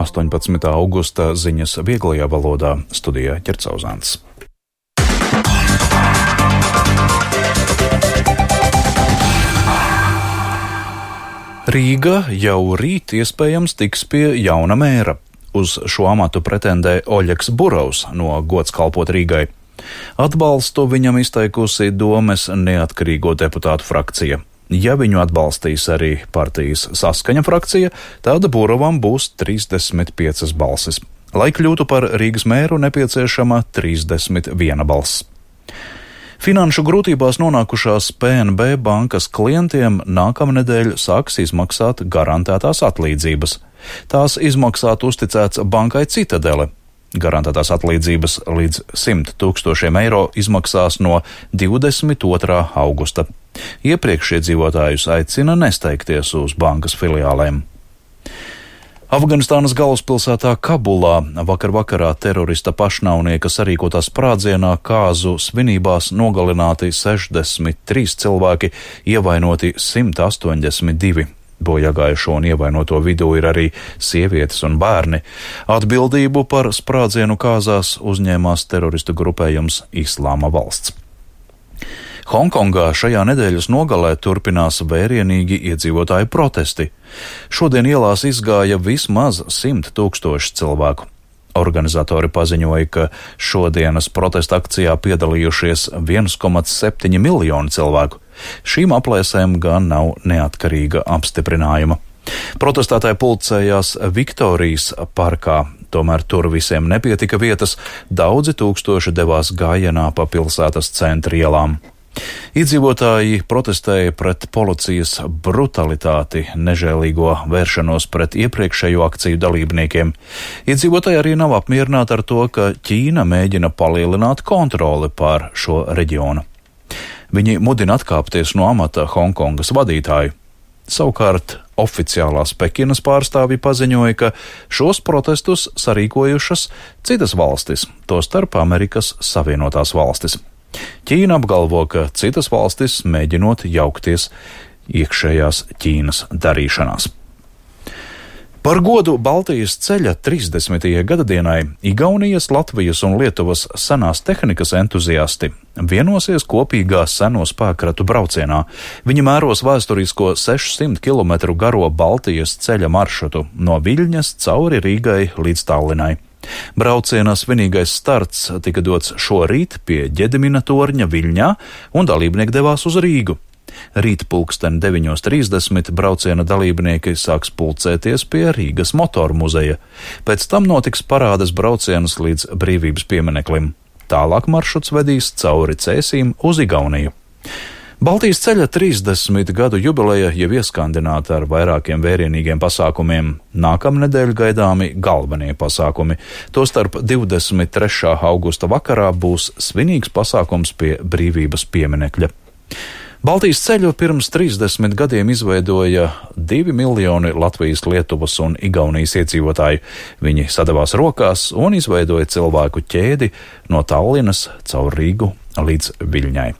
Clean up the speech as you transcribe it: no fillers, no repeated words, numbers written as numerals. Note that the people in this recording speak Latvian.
18. augusta ziņas vieglajā valodā, studijā Ķercauzāns. Rīga jau rīt iespējams tiks pie jauna mēra. Uz šo amatu pretendē Oļegs Burovs no Gods kalpot Rīgai. Atbalstu viņam izteikusi Domes neatkarīgo deputātu frakcija. Ja viņu atbalstīs arī partijas Saskaņa frakcija, tad Burovam būs 35 balsis. Lai kļūtu par Rīgas mēru, nepieciešama 31 balss. Finanšu grūtībās nonākušās PNB bankas klientiem nākamnedēļ sāks izmaksāt garantētās atlīdzības. Tās izmaksāt uzticēts bankai Citadele. Garantētās atlīdzības līdz 100 000 eiro izmaksās no 22. augusta. Iepriekš iedzīvotājus aicina nesteigties uz bankas filiālēm. Afganistānas galvaspilsētā Kabulā vakar vakarā terorista pašnāvnieka sarīkotā sprādzienā kāzu svinībās nogalināti 63 cilvēki, ievainoti 182. Bojāgājušo un ievainoto vidū ir arī sievietes un bērni. Atbildību par sprādzienu kāzās uzņēmās teroristu grupējums Islāma valsts. Hongkongā šajā nedēļas nogalē turpinās vērienīgi iedzīvotāju protesti. Šodien ielās izgāja vismaz 100 000 cilvēku. Organizatori paziņoja, ka šodienas protesta akcijā piedalījušies 1,7 miljoni cilvēku. Šīm aplēsēm gan nav neatkarīga apstiprinājuma. Protestētāji pulcējās Viktorijas parkā, tomēr tur visiem nepietika vietas, daudzi tūkstoši devās gājienā pa pilsētas centra ielām. Iedzīvotāji protestēja pret policijas brutalitāti, nežēlīgo vēršanos pret iepriekšējo akciju dalībniekiem. Iedzīvotāji arī nav apmierināti ar to, ka Ķīna mēģina palielināt kontroli pār šo reģionu. Viņi mudina atkāpties no amata Hongkongas vadītāju. Savukārt oficiālās Pekinas pārstāvji paziņoja, ka šos protestus sarīkojušas citas valstis, tostarp Amerikas Savienotās valstis. Ķīna apgalvo, ka citas valstis mēģinot jaukties iekšējās Ķīnas darīšanās. Par godu Baltijas ceļa 30. gadadienai Igaunijas, Latvijas un Lietuvas senās tehnikas entuziasti vienosies kopīgā seno spēkratu braucienā. Viņi mēros vēsturisko 600 km garo Baltijas ceļa maršrutu no Viļņas cauri Rīgai līdz Tallinai. Brauciena svinīgais starts tika dots šorīt pie Ģedimina torņa Viļņā, un dalībnieki devās uz Rīgu. Rīt 9:30 brauciena dalībnieki sāks pulcēties pie Rīgas motoru muzeja. Pēc tam notiks parādes brauciens līdz Brīvības piemineklim. Tālāk maršruts vedīs cauri Cēsīm uz Igauniju. Baltijas ceļa 30 gadu jubileja jau ieskandināta ar vairākiem vērienīgiem pasākumiem. Nākamnedēļ gaidāmi galvenie pasākumi. Tostarp 23. augusta vakarā būs svinīgs pasākums pie Brīvības pieminekļa. Baltijas ceļu pirms 30 gadiem izveidoja 2 miljoni Latvijas, Lietuvas un Igaunijas iedzīvotāju. Viņi sadavās rokās un izveidoja cilvēku ķēdi no Tallinas caur Rīgu līdz Viļņai.